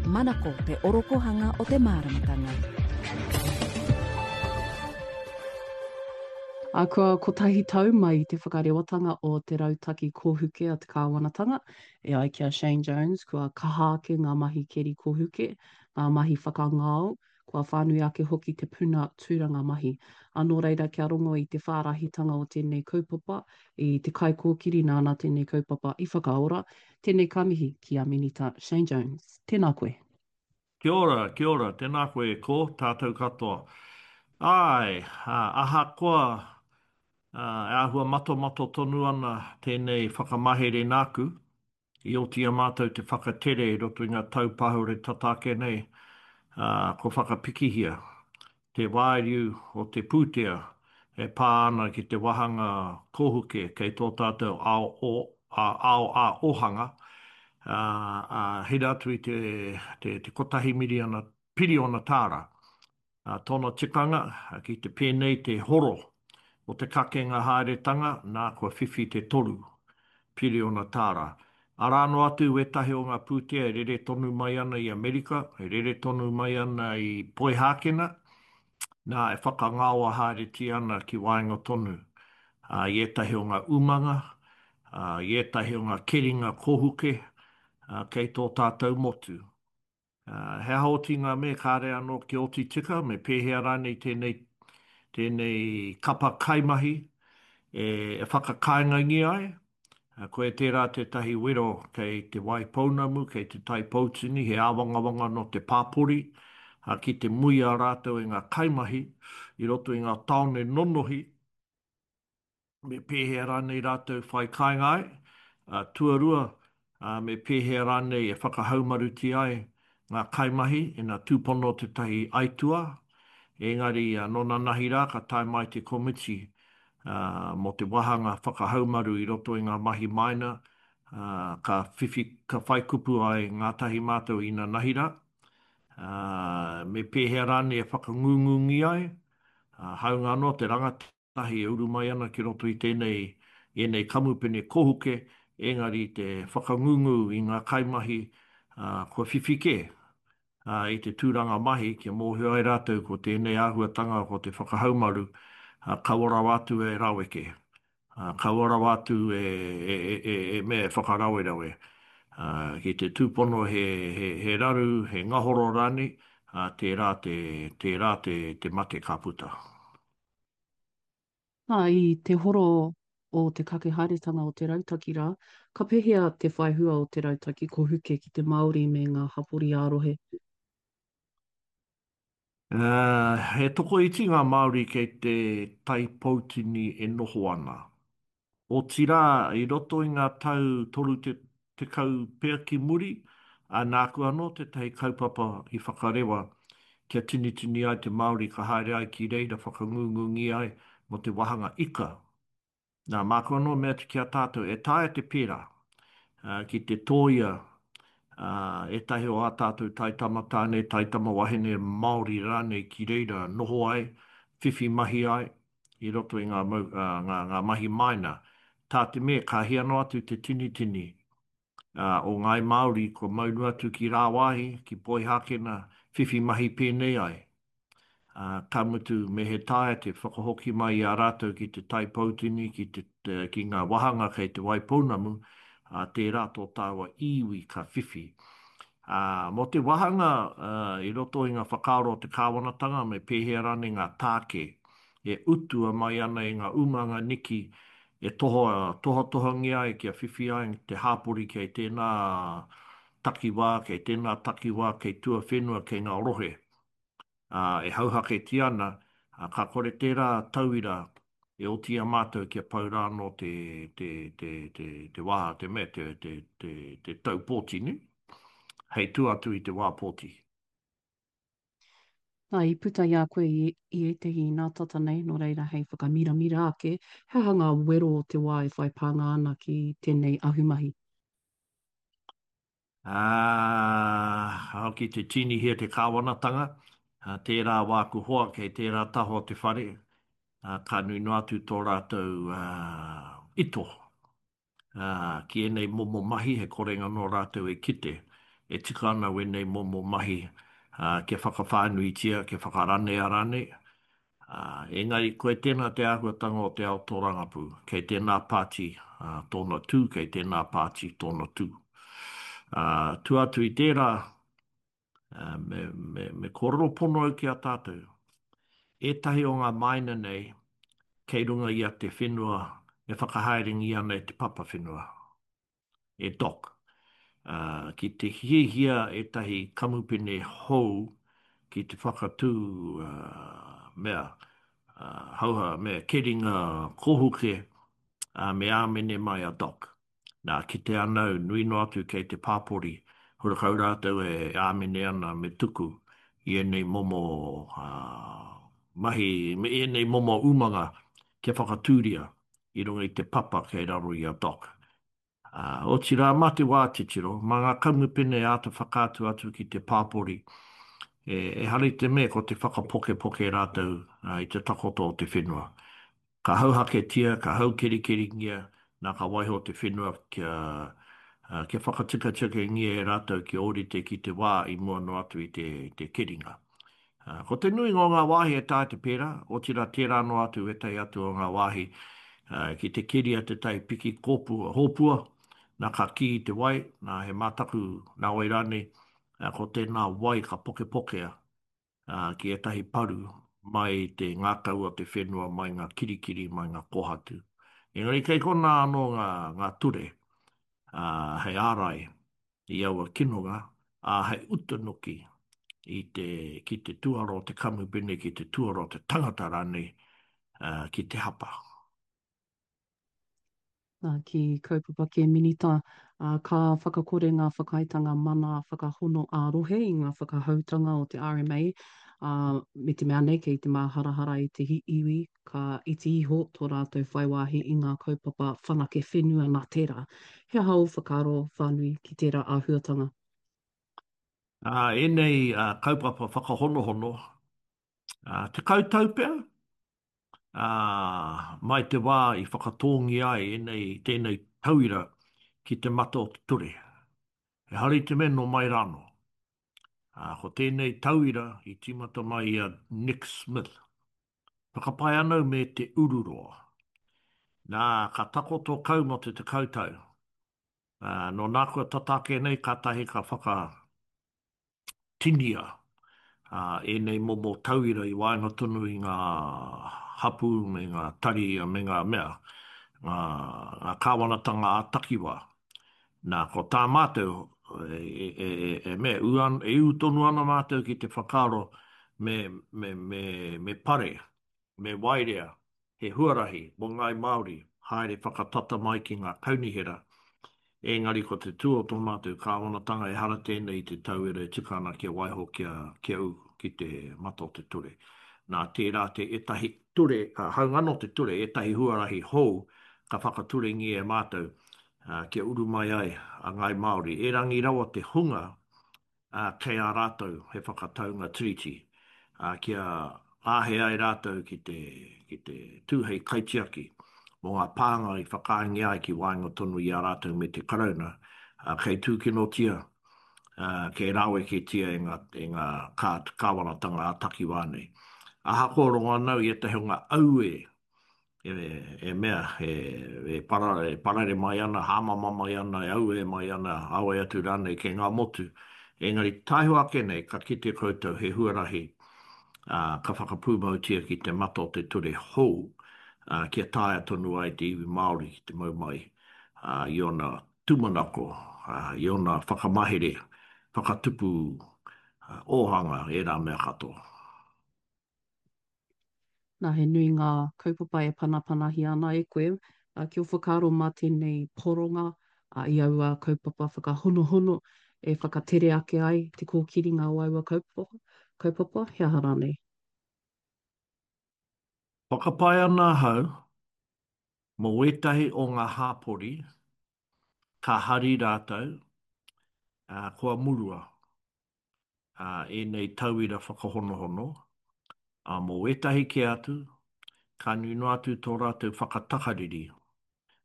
Manako te orokohanga o te māramatanga. Ā, kua kotahi tau mai i te whakarewatanga o te rautaki kōhuke a te kāwanatanga, e ai ki a Shane Jones, kua kaha ake ngā mahi keri kōhuke, ngā mahi whakangao, kua whānui ake hoki te puna tūranga mahi. Ā, nō reira kia rongo i te whārahitanga o tēnei kaupapa, i te kaikōkiri nāna tēnei kaupapa i whakaora, tēnei ka mihi ki a Minita Shane Jones. Tēnā koe. Kia ora, kia ora, tēnā koe e kō, tātou katoa. Āe, ahakoa e āhua matomato tonu ana tēnei whakamahere nāku, I oti i a mātou te whakatere i roto i ngā tau pahure tata ake nei, ā, kua whakapikihia te wāriu o te pūtea e pā ana ki te wāhanga kōhuke kei tō tātou ao o, ao ā-ōhanga, ā, ā, hira atu i te, te, te kotahi miriana, piriona tāra. Ā, tōna tikanga, ki te pēnei te horo o te kakenga haeretanga, nā, kua whiwhi te toru piriona tāra. Arā noa atu wētahi o ngā pūtea e rere tonu mai ana i Amerika, e rere tonu mai ana i Poihākena, nā, e whakangaoa haeretia ana ki waenga tonu, ā, i ētahi o ngā umanga, ā, i ētahi o ngā keringa kōhuke, ā, kei tō tātou motu. He aha oti ngā me kāre anō kia oti tika, me pēhea rānei tēnei, tēnei kapa kaimahi e, e whakakāingangia ai? Koia tērā tētahi wero kei Te Wai Pounamu, kei Te Tai Poutini, he āwangawanga nō te pāpori, ki te muia rātou e ngā kaimahi i roto i ngā tāone nonohi, me pēhea rānei rātou whai kāinga ai, ā, tuarua, ā, me pēhea rānei e whakahaumarutia ai ngā kaimahi ina tūpono tētahi aituā, engari nō nanahi rā ka tae mai te komiti ā, mō te wāhanga whakahaumaru i roto i ngā mahi maina, ā, ka whiwhi, ka whai kupu ai ngātahi mātou i nanahi rā, ā, me pēhea rānei e whakangungungi ai, ā, hāunga anō te rangatahi. Tahi e uru mai ana ki roto i tēnei, i ēnei kamupene kohuke, engari te whakangungu i ngā kaimahi, ā, kua whiwhi kē, ā, i te tūranga mahi kia mōhio ai rātou ko tēnei āhuatanga ko te whakahaumaru, ā, kaua rawa atu e raweke, ā, kaua rawa atu e, e, e, e, e mea e whakarawerawe, ā, ki te tūpono he, he, he raru, he ngahoro rānei, ā, tērā te, tērā te, te mate ka puta. Nā, i te horo o te kake haeretanga o te rautaki rā, ka pehea te whai hua o te rautaki kohuke ki te Māori me ngā hapori ā-rohe? He tokoiti ngā Māori kei te Tai Poutini e noho ana. Otirā, i roto i ngā tau 30 pea ki muri, ā, nāku anō tētahi kaupapa i whakarewa kia tinitini ai te Māori ka haere ai ki reira whakangungungi ai mō te wāhanga ika. Nā, māku anō mea atu ki a tātou, e taea te pērā, ā, ki te tōia, ā, ētahi o ā tātou taitama tāne, taitama wahine Māori rānei ki reira noho ai, whiwhi mahi ai, i roto i ngā mau, ā, ngā, ngā mahi maina. Tā te mea, ka hia noa atu te tinitini, ā, o Ngāi Māori kua maunu atu ki rāwāhi, ki Poihākena, whiwhi mahi pēnei ai. Ā, ka mutu, me he taea te whakahoki mai i a rātou ki Te Tai Poutini, ki te, ki ngā wāhanga kei Te Waipounamu, ā, tērā tō tāua iwi ka whiwhi. Ā, mō te wāhanga, ā, i roto i ngā whakaaro o te kāwanatanga me pēhea rānei ngā tāke e utua mai ana e ngā umanga niki e toha, tohatohangia ai kia whiwhi ai te hāpori kei tēnā takiwā, kei tēnā takiwā, kei tuawhenua, kei ngā rohe. Ā, e hauhaketia ana, ā, ka kore tērā tauira e oti i a mātou kia pau rā anō te, te, te, te, te wā, te mea, te, te, te, te tau pōti, nē? Hei tua atu i te wā pōti. Nā, i puta i a koe i, i ētahi inā tata nei, nō reira hei whakamiramira ake, he aha ngā wero o te wā e whai pānga ana ki tēnei ahumahi? Ā, hoki te tīnihia te kāwanatanga, ā, tērā wāku hoa kei tērā taha o te whare, ā, ka nui noa atu tō rātou, ā, ito, ā, ki ēnei momo mahi he korenga nō rātou e kite. e tika ana wēnei momo mahi kia whakawhānuitia, kia whakaranea rānei. Engari koe tēnā te āhuatanga o te ao tōrangapū, kei tēnā pāti tōna tū, kei tēnā pāti tōna tū. Tua atu i tērā, me, me, me kōrero pono au ki a tātou. Ētahi o ngā māina nei kei runga i a te whenua e whakahaerengia ana e te papa whenua, e Doc. Ki te hiahia ētahi kamupene hou ki te whakatū mea, hauha, mea keringa kōhuke, me āmene mai a Doc. Nā, kite ana au, nui noa atu kei te pāpori, hurakau rātou e āmene ana me tuku i ēnei momo mahi, me ēnei momo umanga kia whakatūria i runga i te papa kei raro i a Doc. Otirā, mā te wā titiro, mā ngā kamupene āta whakaatu atu ki te pāpori, ehara i te mea ko te whakapokepoke rātou i te takoto o te whenua. Ka hauhaketia, ka haukerikeringia, nā ka waiho te whenua kia, kia whakatikatikangia e rātou kia ōrite ki te wā i mua noa atu i te, te keringa. Ko te nuinga o ngā wāhi e taea te pērā, otirā tērā noa atu ētahi atu o ngā wāhi ki te keria tētahi piki kōpua, hōpua, nā ka kī i te wai, nā he mātaku, nā wai rānei, ko tēnā wai ka pokepokea ā, ki ētahi paru mai i te ngākau o te whenua, mai ngā kirikiri, mai ngā kōhatu. Engari kei konā anō ngā, ngā ture, ā, hei ārai i aua kinonga, ā, hei utu noki i te, ki te tuara o te kamupene, ki te tuara o te tangata rānei, ā, ki te hapa. Nā, ki kaupapa kē Minita, ā, ka whakakore ngā whakaaetanga mana whakahono ā-rohe i ngā whakahoutanga o te RMA, ā, me te mea nei kei te māharahara i te iwi ka iti iho tō rātou whai wāhi i ngā kaupapa whanake whenua nā tērā. He aha ō whakaaro whānui ki tērā āhuatanga? Ā, ēnei kaupapa whakahonohono, ā, 10 tau pea, Ā, mai te wā i whakatōngia ai ēnei, tēnei tauira ki te mata o te ture. Ehara i te mea nō mai rānō. Ā, ko tēnei tauira i tīmata mai i a Nick Smith. Whakapae ana au me Te Ururoa. Nā, ka takoto kau mō te 10 tau. Ā, nō nākua tata ake nei kātahi ka whaka. Tinia ēnei momo tauira i waenga tonu i ngā hapū me ngā tari me ngā mea, ngā, ngā kāwanatanga ā-takiwā. Nā, ko tā mātou, e, e, e, e mea, ū an, e ū tonu ana mātou ki te whakaaro me, me, me, me pare, me waerea he huarahi mō ngāi Māori haere whakatata mai ki ngā kaunihera, ēngari ko te tū o tō mātou kāwanatanga ehara tēnei i te tauira e tika ana kia waiho kia kia ū ki te mata o te ture. Nā tērā te ētahi ture, hāunga anō te ture, ētahi huarahi hou ka whakaturengia e mātou kia uru mai ai a ngāi Māori. Erangi rawa te hunga ā, kei a rātou he whakataunga tiriti, ā, kia āhei ai rātou ki te, ki te tū hei kaitiaki mō ngā pānga i whakaaengia ai ki waenga tonu i a rātou me te Karauna, ā, kei tūkinotia, ā, kei rāweketia e ngā, e ngā kā, kāwanatanga ā-takiwā nei. Ahakoa rongo ana au i ētahi o ngā auē e mea, e parare mai ana, hāmama mai ana, e auē mai ana, āwai atu rānei kei ngā motu. Engari taihoa ake nei, ka kite koutou he huarahi ka whakapūmautia ki te mata o te ture hou, kia taea tonu ai te iwi Māori ki te mau mai i ōna tūmanako, i ōna whakamahere, whakatupu ōhanga, ērā mea katoa. Nā, he nui ngā kaupapa e panapanahia ana e koe, ā, ki ō whakaaro mā tēnei poronga i aua kaupapa whakahonohono e whakatere ake ai te kōkiringa o aua kaupapa, kaupapa, he aha rānei? Whakapae ana ahau mō ētahi o ngā hāpori ka hari rātou, ā, kua murua. ēnei tauira whakahonohono, ā, mō ētahi kē atu, ka nui noa atu tō rātou whakatakariri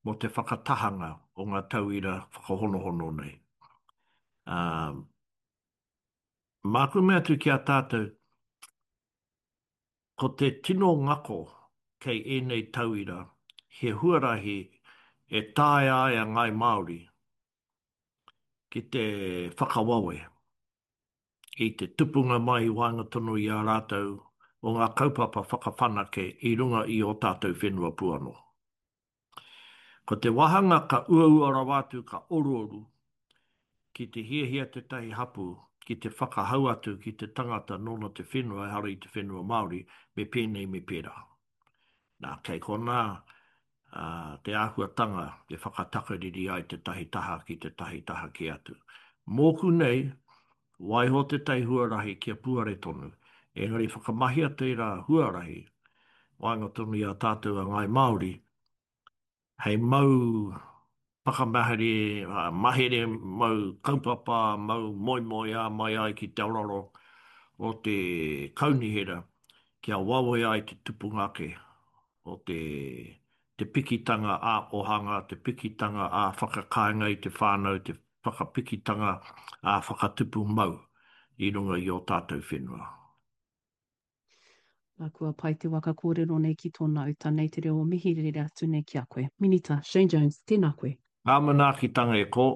mō te whakatahanga o ngā tauira whakahonohono nei. Ā, Māku mea atu ki a tātou, ko te tino ngako kei ēnei tauira he huarahi e taea ai a Ngāi Māori ki te whakawawe i te tupunga mai i waenga tonu i a rātou o ngā kaupapa whakawhanake i runga i ō tātou whenua pū anō. Ko te wāhanga ka uaua rawa atu ka oruoru ki te hiahia tētahi hapū ki te whakahau atu ki te tangata nōna te whenua ehara i te whenua Māori me pēnei me pērā. Nā, kei konā te āhuatanga e whakatakariri ai tētahi taha ki tētahi taha kē atu. Mōku nei, waiho tētahi huarahi kia puare tonu, engari whakamahia tērā huarahi waenga tonu i a tātou a Ngāi Māori hei mau whakamahere, mahere, mau kaupapa, mau moemoeā mai ai ki te araro o te kaunihera kia wawe ai te tupunga ake o te te pikitanga ā-ohanga, te pikitanga ā-whakakāinga i te whānau, te whakapikitanga ā-whakatupu mau i runga i ō tātou whenua. Nā, kua pai te waka kōrero nei ki tōna uta nei te reo o mihi rere atu nei ki a koe. Minita Shane Jones, tēnā koe. Ngā manaakitanga e kō.